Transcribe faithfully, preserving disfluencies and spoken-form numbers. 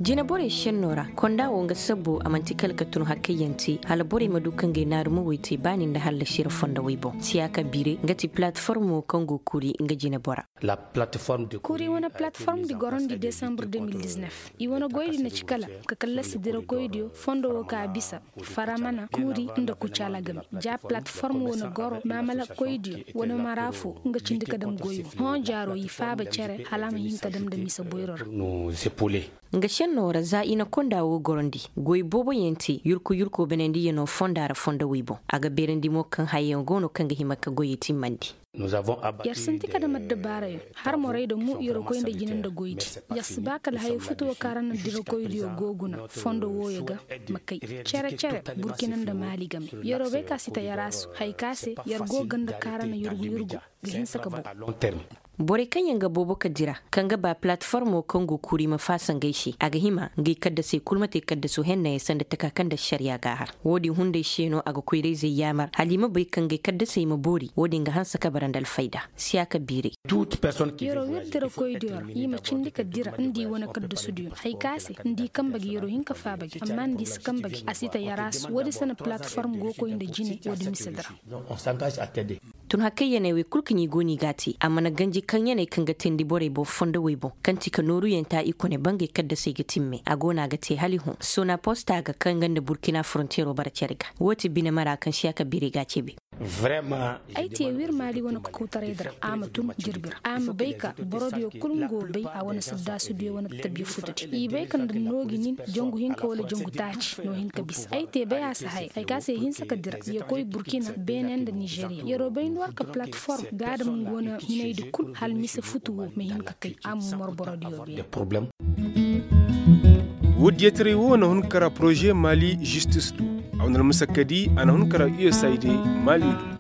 Jine borey senno ra, konda wo nga sabbo a manti kala ka tun hakkayyaŋ te hala borey ma du ka ngey naaru ma woy te baani nda hallasi ra fondowey boŋ. Siyaaka biiray nga ti platformo kaŋ go kuuri nga jine bora. Kuuri wane platform di gorondi desambur deux mille dix-neuf. I wane goy di na ci kala ka kallasi dirakoy diyo fondo wo ka bisa faramana kuuri nda kucaala game. Ja platform wo na goro maamala koy diyo wane mara fo nga cindi ka dam goy wo hõ jaaro i faaba cere hala a ma hin ka dam nda misa boyro ra. Nga senno ra za i na konda wo gorondi goy boobo yaŋ te yurku yurko banandi yaŋ no fonda ra fondo wey boŋ. A ga beerandi mo kaŋ haya yaŋ go no kaŋ ga hima ka goyey timmandi. Yar sinti ka dam addabaara yaŋ har morey da mo yar koy nda jine nda goy di. Yar si ba kala haya futuwo kaŋ ra na dirakoy diyo go guna fondo wooyo ga ma kay cere cere burkina nda maali game. Yaro bay ka si ta yar a su haya ka se yar go ganda kaŋ ra na yurgu yurgu ga hinsa ka boŋ. Borey kaŋ yaŋ ga boobo ka dira kaŋ ga ba palatformo kaŋ go kuuri ma faasa ngey se a ga hima ngey kaddasey kulu ma te kaddasu hennayaŋ sanda taka kaŋ nda ašariya ga a har. Wo- din hunday se no a ga koyrayzey yaamar hala i ma bay kaŋ ngey kaddasey ma boori wo- din ga hanse ka bara nda alfayda. Siyaaka biiray. Yaro wir dirakoy diyo ra i ma cindi ka dira nda i wane kaddasu diyo haya ka se nda i kamba ga yaro hin ka faaba ga amma nda i si kamba ga a si ta yar a se wo- din se no palatform go koy nda jine wo- din mise dira. Tun hakkayyaney wey kulu kaŋ i go no i ga a te a mana ganji kaŋyaney kaŋ ga teendi borey boŋ fondowey boŋ kaŋ ti ka nooruyaŋ ta i kone bangey kaddasey ga timme a go no a ga te hala i hõ sona posta ga kaŋ nga nda burkina frontiero bara care ga. Wo- ti bine mara kaŋ siyaaka biirey ga a ceebe. Ay te wir maali wane kokowtaray dira a ma tun jirbi ra a ma bay ka boro diyo kulu nga wo bay a wane saddaasi diyo wane tabiya futu di i bay ka nda noogi nin jangu hinka wala jangu taaci no hin ka bisa ay te bay a si hay ay ka se hinsa ka dira ya koy burkina beene nda nizeeriya yaro bay nda war ka palatform ga a dam nga wane hinay di kulu hala mise futu wo ma hin ka kay a ma mor boro diyo beene. Wo- din yataray wo na hun kara poroze maali zistis do a wane almasakadi a na hun kara usaid maali do.